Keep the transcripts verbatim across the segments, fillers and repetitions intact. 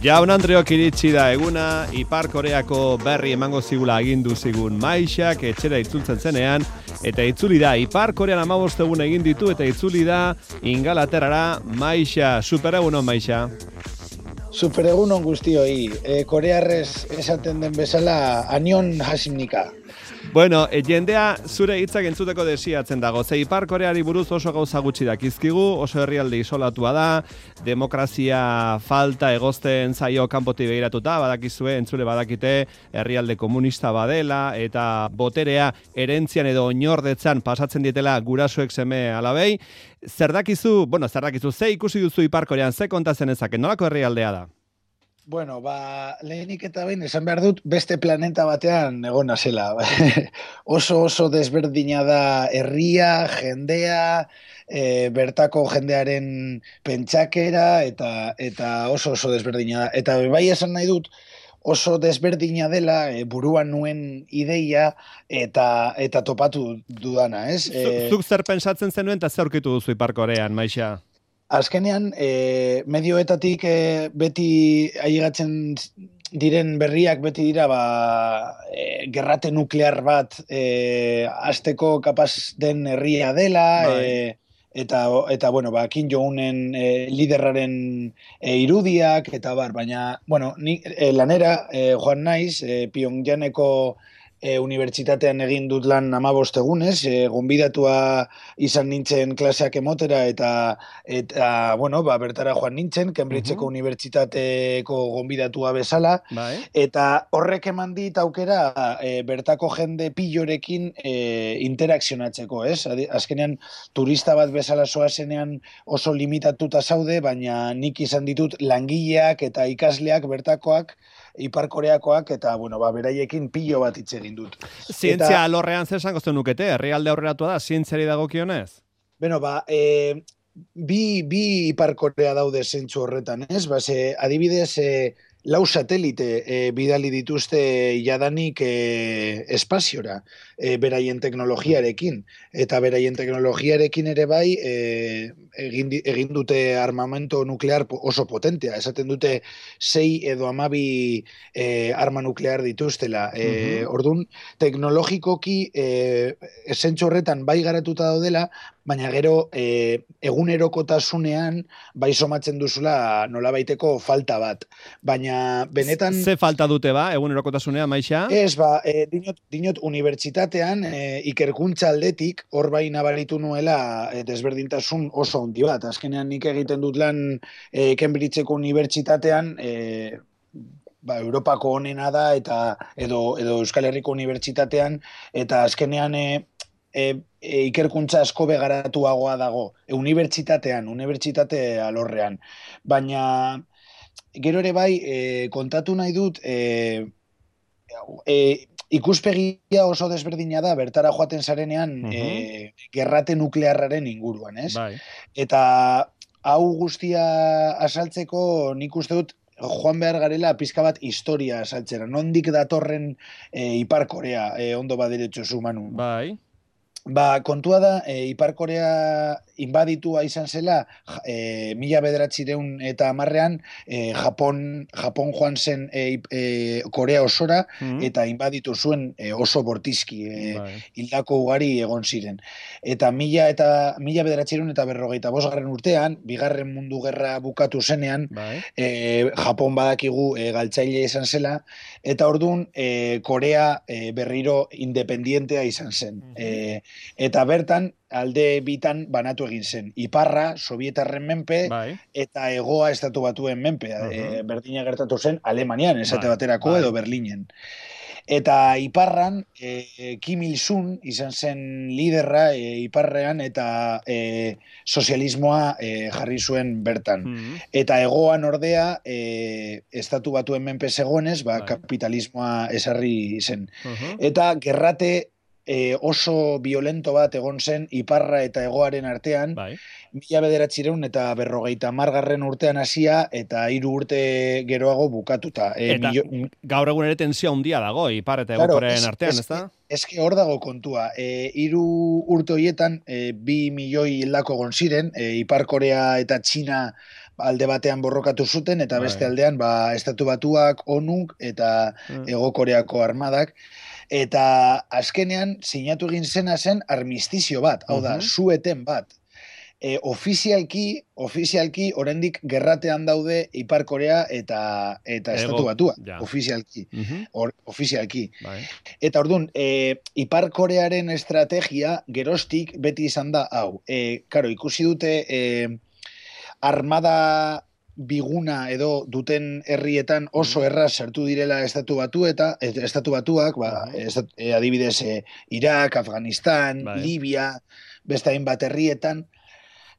Jaun Andreok iritsi da eguna, Ipar Koreako berri emango zigula agindu zigun Maixak etxera itzultzen zenean, eta itzuli da Ipar Korean hamabost egun egin ditu eta itzuli da Ingalaterrara. Maixa, superegunon Maixa. Superegunon guztioi, e, korearrez esaten den bezala anion hasimnika. Bueno, e, jendea zure hitzak entzuteko desiatzen dago. Ze Ipar Koreari buruz oso gauza gutxi dakizkigu, oso herrialde isolatua da, demokrazia falta egozten zaio kanpotik begiratuta, badakizue, entzule badakite herrialde komunista badela, eta boterea erentzian edo oinordetzan pasatzen dietela gurasoek seme alabei. Zer dakizu, bueno, zer dakizu, ze ikusi duzu Ipar Korean, ze kontatzen ezake, nolako herrialdea da? Bueno, ba, lehenik eta behin esan behar dut beste planeta batean egona zela. oso oso desberdina da herria, jendea, e, bertako jendearen pentsakera eta eta oso oso desberdina da. Eta bai esan nahi dut oso desberdina dela e, buruan nuen ideia eta eta topatu dudana, ez? E... Zuk zer pentsatzen zenuen eta zer aurkitu duzu Ipar Korean, Maixa? Azkenean, e, medioetatik e, beti ailegatzen diren berriak beti dira ba, e, gerrate nuklear bat e, hasteko kapaz den herria dela, e, eta, eta bueno, ba, Kim Jong-unen e, liderraren e, irudiak, eta bar, baina, bueno, ni, e, lanera e, joan naiz, e, Pyongyangeko E, unibertsitatean egin dut lan hamabost egunez, e, gonbidatua izan nintzen klaseak emotera eta eta bueno, ba, bertara joan nintzen, Cambridgeko uh-huh. unibertsitateko gonbidatua bezala, bai. Eta horrek eman dit aukera e, bertako jende pillorekin e, interakzionatzeko, ez? Azkenean turista bat bezala zoazenean oso limitatuta zaude, baina nik izan ditut langileak eta ikasleak bertakoak, Ipar Koreakoak, eta, bueno, ba, beraiekin pilo bat hitz egin dut. Zientzia eta... alorrean zer esango zenukete, herrialde aurreratua da, zientziari dagokionez? Bueno, ba, e, bi, bi Ipar Korea daude zentzu horretan, ez? Ba, ze, adibidez, e, lau satelite e, bidali dituzte jadanik e, espaziora, e, beraien teknologiarekin, eta beraien teknologiarekin ere bai e, egin, egin dute armamento nuklear oso potentea, esaten dute sei edo hamabi e, arma nuklear dituztela. E, uh-huh. Orduan, teknologikoki e, zentzu horretan bai garatuta daudela, baina gero e, egunerokotasunean bai somatzen duzula nolabaiteko falta bat. Baina benetan... Ze falta dute ba, egunerokotasunean, Maixa? Ez, ba, e, dinot, dinot unibertsitatean e, ikerkuntza aldetik hor bai nabaritu nuela e, desberdintasun oso handi bat. Azkenean nik egiten dut lan e, Cambridgeko unibertsitatean... E, ba, Europako onena da eta edo, edo Euskal Herriko unibertsitatean eta azkenean e, e, e, ikerkuntza asko begaratuagoa dago. E, unibertsitatean, unibertsitate alorrean. Baina gero ere bai e, kontatu nahi dut e, e, ikuspegia oso desberdina da bertara joaten zarenean uh-huh. e, gerrate nuklearraren inguruan, ez? Bai. Eta hau guztia asaltzeko nik uste dut joan behar garela pizka bat historia asaltzera. Nondik datorren e, Ipar Korea, e, ondo baderetxo zu, Manu. Bai. Ba, kontua da, e, Ipar Korea inbaditua izan zela, e, mila bederatzireun eta hamarrean, e, Japon, Japon joan zen e, e, Korea osora, mm-hmm. eta inbaditu zuen e, oso bortizki, e, bai. Hildako ugari egon ziren. Eta mila eta mila bederatzireun eta berrogeita bosgarren urtean, bigarren mundu gerra bukatu zenean, bai. e, Japon badakigu e, galtzaile izan zela, eta orduan e, Korea e, berriro independientea izan zen. Mm-hmm. e, Eta bertan, alde bitan banatu egin zen. Iparra, Sovietarren menpe, bai. Eta hegoa estatu batuen menpe. Uh-huh. E, berdina gertatu zen Alemanian, esate bai. Baterako, bai. Edo Berlinen. Eta Iparran, e, Kim Il-sung izan zen liderra e, Iparrean, eta e, sozialismoa e, jarri zuen bertan. Uh-huh. Eta hegoan ordea, e, estatu batuen menpe zegoenez, ba, bai. Kapitalismoa esarri zen. Uh-huh. Eta gerrate E, oso violento bat egon zen Iparra eta hegoaren artean, bai. Mila bederatzireun eta berrogeita hamargarren urtean hasia eta hiru urte geroago bukatuta. E, eta milio... gaur egun ere tensio handia dago Ipar eta claro, hegokorean artean, ez da? Eske hor dago kontua. E, hiru urte horietan e, bi milioi hildako egon ziren, e, Ipar Korea eta Txina alde batean borrokatu zuten, eta bai. beste aldean, ba, Estatu Batuak, ONUk, eta Mm. Hego Koreako armadak, eta azkenean sinatu egin zena zen armistizio bat, hau da, Mhm. sueten bat. E, ofizialki, ofizialki, oraindik gerratean daude Ipar Korea eta eta Ego, Estatu Batua, ja. ofizialki. Mhm. Or, ofizialki. Bai. Eta orduan, e, Ipar Korearen estrategia geroztik beti izan da hau. E, karo, ikusi dute e, armada biguna edo duten herrietan oso Mhm. erraz sartu direla Estatu Batu eta Estatu Batuak, ba, Mhm. estat, e, adibidez e, Irak, Afganistan, Bai. Libia, beste hainbat herrietan.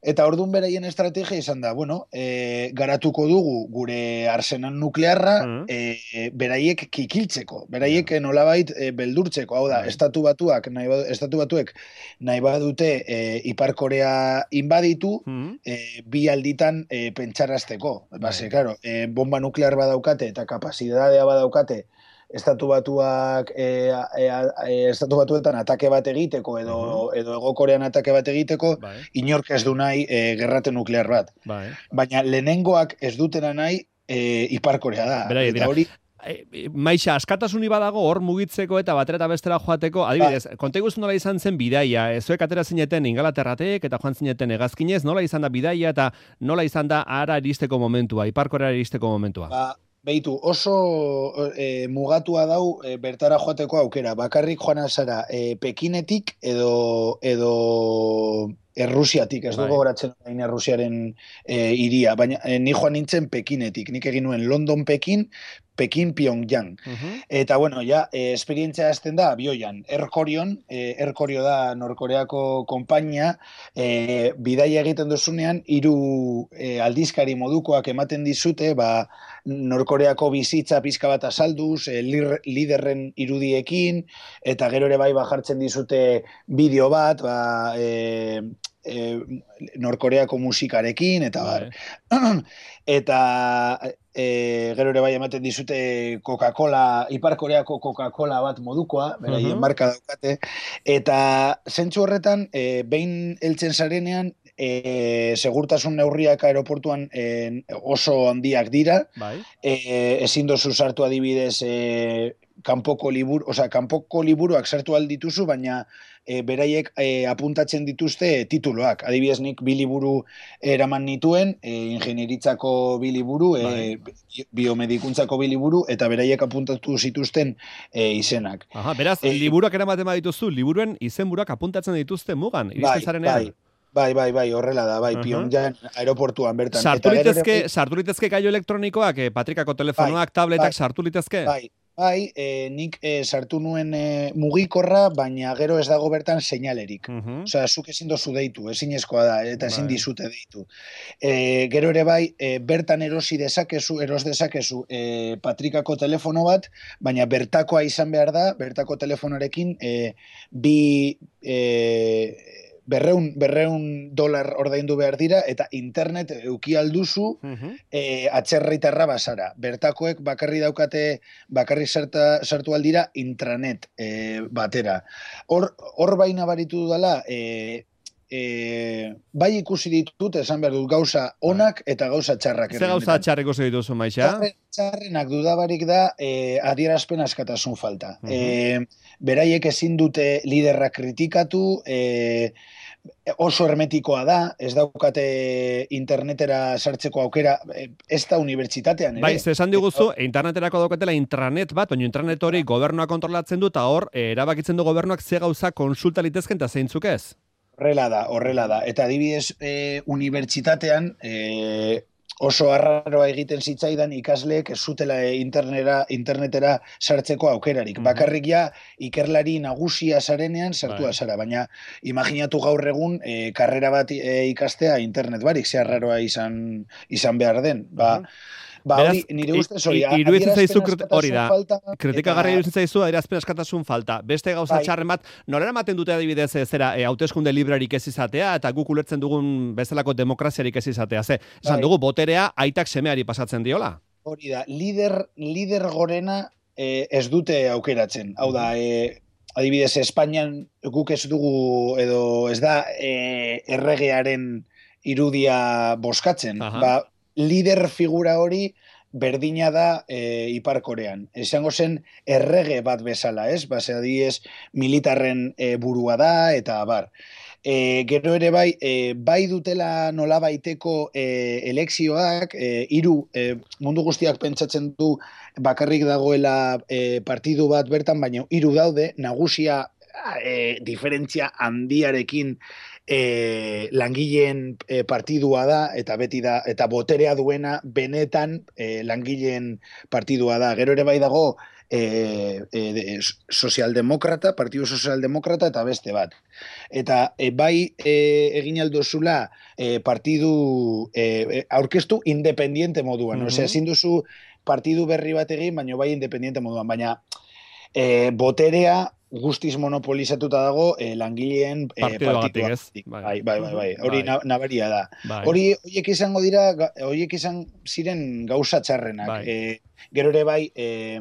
Eta ordun beraien estrategia izan da, bueno, e, garatuko dugu gure arsenal nuklearra Mhm. e, beraiek kikiltzeko, beraiek Ja. nolabait e, beldurtzeko, hau da, Bai. Estatu Batuak, nahi badu, Estatu Batuek nahi badute e, Ipar Korea inbaditu, Mhm. e, bi alditan e, pentsarazteko. Bai. Base, claro, e, bomba nuklear badaukate eta kapazitatea badaukate Estatu Batuak e, e, e, Estatu Batuetan atake bat egiteko edo, Mhm. edo Hego Korean atake bat egiteko, Bai. inork ez du nahi e, gerrate nuklear bat. Bai. Baina lehenengoak ez dutena nahi e, Ipar Korea da. Berai, Eta dira. hori, E, Maixa, askatasuni badago hor mugitzeko eta batera eta bestera joateko, adibidez, konta iguzu nola izan zen bidaia, e, zuek atera zineten Ingalaterratek eta joan zineten hegazkinez, nola izan da bidaia eta nola izan da ara iristeko momentua, Ipar Koreara iristeko momentua? ba, behitu, oso e, mugatua dau e, bertara joateko aukera. Bakarrik joan zara e, Pekinetik edo edo Errusiatik, ez Bai. dugu goratzen orain Errusiaren e, iria, baina e, ni joan nintzen Pekinetik, nik egin nuen London Pekin, Pekin Pyongyang. Mhm. Eta bueno, ja, e, esperientzia azten da abioian, Erkorion, e, Erkorio da Norkoreako konpainia, e, bidaia egiten duzunean, hiru e, aldizkari modukoak ematen dizute, ba, Norkoreako bizitza pizka bat azalduz, e, lir, liderren irudiekin, eta gero ere bai bajartzen dizute bideo bat, ba, e, e, Norkoreako musikarekin, eta bar. Bai. Eta e, gero ere bai ematen dizute Coca-Cola, Ipar Koreako Coca-Cola bat modukoa, beraien Mhm. marka daukate, eta zentzu horretan, e, behin heltzen zarenean, e, segurtasun neurriak aeroportuan e, oso handiak dira, Bai. e, ezin dozu sartu adibidez e, kanpoko liburu, osea, kanpoko liburuak sartu aldituzu, baina e, beraiek e, apuntatzen dituzte tituloak. Adibidez, nik bi liburu eraman nituen, e, ingenieritzako bi liburu, e, biomedikuntzako bi liburu, eta beraiek apuntatu zituzten e, izenak. Aha, beraz, E, liburuak eramaten badituzu, liburuen izenburuak apuntatzen dituzte mugan, iristen bai, zarenean. bai, bai, bai, bai, horrela da, bai, Aha. Pyongyang aeroportuan bertan. Sartu Eta gero ere litezke, bai- sartu litezke gailu elektronikoak, eh, patrikako telefonoak, tabletak bai, sartu litezke? Bai, bai, e, nik e, sartu nuen e, mugikorra, baina gero ez dago bertan seinalerik. Mhm. Osea, zuk ezin dozu deitu, ezinezkoa da, eta ezin Bai. dizute deitu. E, gero ere bai, e, bertan erosi dezakezu, eros dezakezu e, patrikako telefono bat, baina bertakoa izan behar da, bertako telefonorekin e, bi... E, berreun, berreun dolar ordaindu behar dira, eta internet euki alduzu Mhm. e, atzerritarra basara. Bertakoek bakarri daukate, bakarri sarta, sartu aldira intranet e, batera. Hor, hor baina baritu dudala, e, e, bai ikusi ditut, esan behar dut, gauza onak eta gauza txarrak. Ze gauza txarreko dituzu, Maixa? Txarren, txarrenak dudabarik da e, adierazpen askatasun falta. Mhm. E, beraiek ezin dute liderrak kritikatu, e, oso hermetikoa da, ez daukate internetera sartzeko aukera, e, ez da unibertsitatean ere. Bai, ze esan diguzu, interneterako daukatela intranet bat, baina intranet hori gobernua kontrolatzen du, eta hor, eh, erabakitzen du gobernuak ze gauza konsulta litezken eta zeintzuk ez? Horrela da, horrela da. Eta adibidez, e, unibertsitatean, e, oso arraroa egiten zitzaidan ikasleek ez zutela internetera, internetera sartzeko aukerarik. Mhm. Bakarrik ja ikerlari nagusia zarenean sartua Bai. zara, baina imaginatu gaur egun e, karrera bat e, ikastea internet barik, ze arraroa izan, izan behar den. Ba, Mhm. ba Beraz, hori, nire ustez hori, i- iruditzen zaizu adierazpen krit- hori da, askatasun falta, kritikagarria eta- iruditzen zaizu adierazpen askatasun falta. Beste gauza Bai. txarren bat, norera ematen dute adibidez eh, zera, e, hauteskunde librarik ez izatea, eta guk ulertzen dugun bezalako demokraziarik ez izatea. Ze, esan Bai. dugu, boterea aitak semeari pasatzen diola. Hori da, lider, lider gorena eh, ez dute aukeratzen. Hau da, eh, adibidez, Espainian guk ez dugu, edo ez da eh, erregearen irudia boskatzen. Aha. Ba, lider figura hori berdina da e, Ipar Korean. Esango zen errege bat bezala, ez? Base adiez militarren e, burua da, eta bar. E, gero ere bai, e, bai dutela nola baiteko e, elekzioak, e, iru, e, mundu guztiak pentsatzen du bakarrik dagoela e, partidu bat bertan, baina hiru daude, nagusia e, diferentzia handiarekin e, langileen e, partidua da, eta beti da, eta boterea duena benetan e, langileen partidua da. Gero ere bai dago e, e, sozialdemokrata, partidu sozialdemokrata eta beste bat. Eta e, bai e, egin aldozula e, partidu e, aurkeztu independiente moduan. Mm-hmm. Osea, ezin duzu partidu berri bat egin, baina bai independiente moduan. Baina e, boterea guztiz monopolizatuta dago eh, langileen eh, partidu ez? Bai, bai, bai, bai. Hori bai. Nabaria da. Bai. Hori horiek izango dira, horiek izan ziren gauza txarrenak. Bai. Eh, gero ere bai, eh,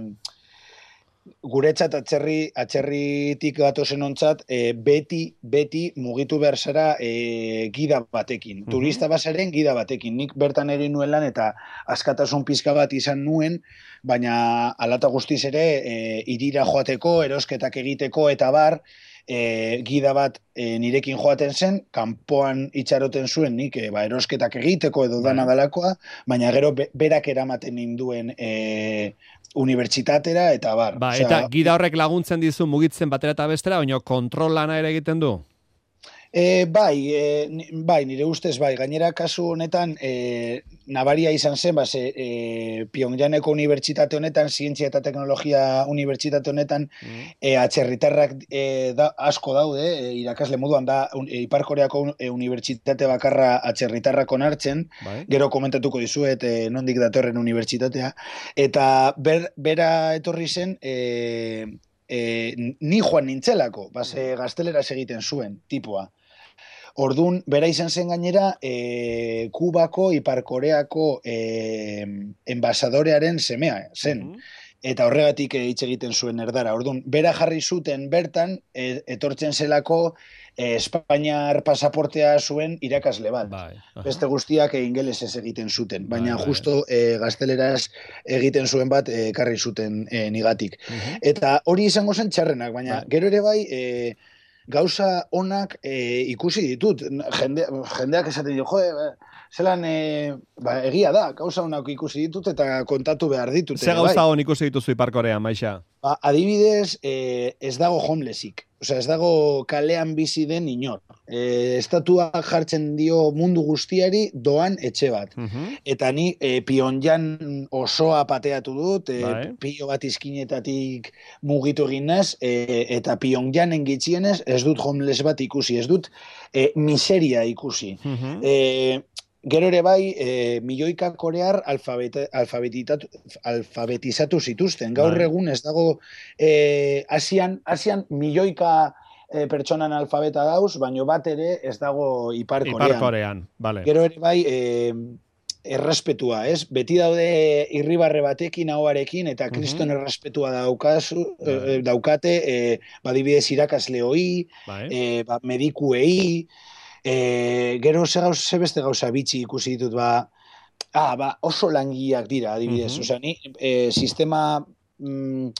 guretzat atzerri, atzerritik gatozen ontzat, e, beti, beti mugitu behar zara e, gida batekin. Mm-hmm. Turista basaren gida batekin. Nik bertan ere nuen lan eta askatasun pizka bat izan nuen, baina alata guztiz ere e, irira joateko, erosketak egiteko eta bar, e, gida bat e, nirekin joaten zen, kanpoan itxaroten zuen nik e, ba, erosketak egiteko edo dana dalakoa, baina gero be, berak eramaten ninduen e, unibertsitatera eta bar. Ba, eta Osea, gida horrek laguntzen dizu mugitzen batera eta bestera, baina kontrol lana ere egiten du? E, bai, e, bai, nire ustez bai. Gainera kasu honetan e, nabaria izan zen, base, e, Pyongyangeko unibertsitate honetan, zientzia eta teknologia unibertsitate honetan, mm. e, atzerritarrak e, da, asko daude, e, irakasle moduan da, un, e, Ipar Koreako e, unibertsitate bakarra atzerritarrak onartzen, bai. Gero komentatuko dizuet e, nondik datorren unibertsitatea, eta ber, bera etorri zen, e, e, ni joan nintzelako, base, gazteleraz egiten zuen, tipua. Ordun bera izan zen gainera e, Kubako, Ipar Koreako e, enbasadorearen semea zen. Mm-hmm. Eta horregatik hitz egiten zuen erdara. Ordun bera jarri zuten bertan e, etortzen zelako e, Espainiar pasaportea zuen irakasle bat. Bai. Beste guztiak e, ingelesez egiten zuten. Baina bai, justo e, gazteleraz egiten zuen bat ekarri e, zuten e, nigatik. Mm-hmm. Eta hori izango zen txarrenak, baina bai. Gero ere bai... E, gauza onak e, ikusi ditut. Jende, jendeak esaten dio, jo, zelan e, ba, egia da, gauza onak ikusi ditut eta kontatu behar ditut. Ze gauza bai. On ikusi dituzu Ipar Korean, Maixa? Ba, adibidez, e, ez dago homelessik. Osea, ez dago kalean bizi den inor. E, estatuak jartzen dio mundu guztiari doan etxe bat. Uh-huh. Eta ni e, Pyongyang osoa pateatu dut, e, bai. Pio bat izkinetatik mugitu egin naz, e, eta Pyongyangen gitxienez ez dut homeless bat ikusi, ez dut e, miseria ikusi. Uh-huh. E, Gero ere bai, e, milioika korear alfabetizatu zituzten. Gaur egun ez dago e, Asian, Asian milioika e, pertsonan alfabeta dauz, baino bat ere ez dago Ipar Korean. Ipar Korean, vale. Gero ere bai, e, errespetua, ez? Beti daude irribarre batekin, ahoarekin, eta kriston uh-huh. errespetua daukazu, e, daukate, e, badibidez irakasle hoi, e, ba, medikuei, E, gero ze, gauz, ze beste gauza bitxi ikusi ditut, ba, ah, ba oso langileak dira, adibidez. Uh-huh. Osea, ni e, sistema mm,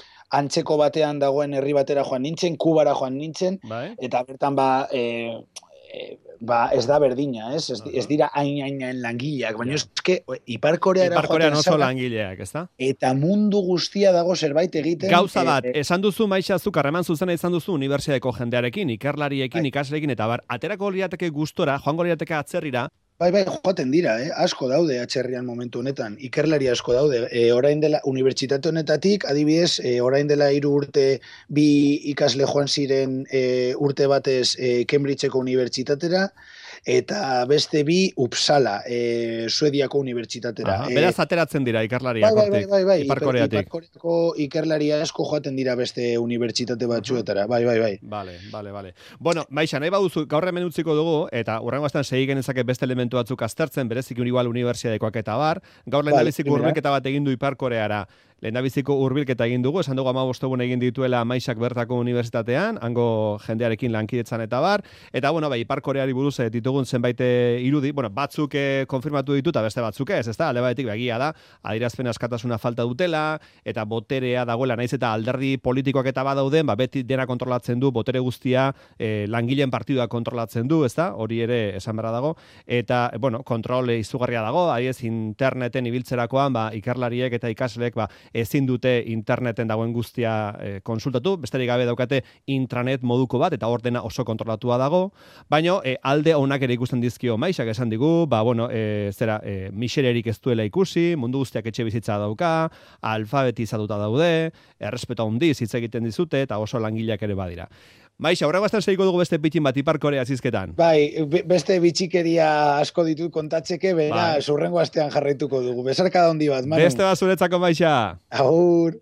antzeko batean dagoen herri batera joan nintzen, Kubara joan nintzen, bai. Eta bertan ba, e, e, ba ez da berdina, ez? Ez, ez dira hain-hain langileak, baina yeah. eske Ipar Koreara Ipar Korean oso langileak, ezta? Eta mundu guztia dago zerbait egiten. Gauza bat, e, esan duzu Maixa zuk harreman zuzena izan duzu unibertsitateko jendearekin, ikerlariekin, bai. Ikasleekin eta bar, aterako lirateke gustora, joango lirateke atzerrira. Bai, bai, joaten dira, eh? Asko daude atzerrian momentu honetan, ikerlari asko daude. E, orain dela, unibertsitate honetatik, adibidez, e, orain dela hiru urte bi ikasle joan ziren e, urte batez e, Cambridgeko unibertsitatera, eta beste bi Uppsala, e, Suediako unibertsitatera. Aha, beraz ateratzen dira ikerlariak, bai, bai, bai, bai, Ipar Koreatik. Ipar Koreako ikerlaria asko joaten dira beste unibertsitate batzuetara, bai, bai, bai. Vale, vale, vale. Bueno, Maixa, nahi baduzu, gaur hemen utziko dugu, eta urrengo astean segi genezake beste elementu batzuk aztertzen, bereziki igual unibertsitatekoak eta bar, gaur lehendabiziko vale, hurbilketa bat egin du Ipar Koreara. lehendabiziko hurbilketa egin dugu, esan dugu hamabost egun egin dituela Maisak bertako unibertsitatean, hango jendearekin lankidetzan eta bar, eta bueno, bai, Ipar Koreari buruz eh, ditugun zenbait eh, irudi, bueno, batzuk eh, konfirmatu ditu eta beste batzuk ez, ezta? Alde batetik begia da, adierazpen askatasuna falta dutela eta boterea dagoela, naiz eta alderdi politikoak eta badauden, ba beti dena kontrolatzen du, botere guztia eh, langileen partidua kontrolatzen du, ezta? Hori ere esan beharra dago, eta bueno, kontrol izugarria dago, adiez interneten ibiltzerakoan, ba ikerlariek eta ikasleek ba ezin dute interneten dagoen guztia eh, konsultatu, besterik gabe daukate intranet moduko bat eta hor dena oso kontrolatua dago, baina eh, alde onak ere ikusten dizkio Maisak esan digu, ba bueno, eh, zera eh, misererik ez duela ikusi, mundu guztiak etxe bizitza dauka, alfabetizatuta daude, errespetu handiz hitz egiten dizute eta oso langileak ere badira. Maixa, horrego azten segiko dugu beste pitin bat Ipar Korea zizketan. Bai, beste bitxikeria asko ditut kontatzeke, bera, bai. Zurrengo astean jarraituko dugu. Besarka da handi bat, Manu. Beste bat zuretzako, Maixa. Agur.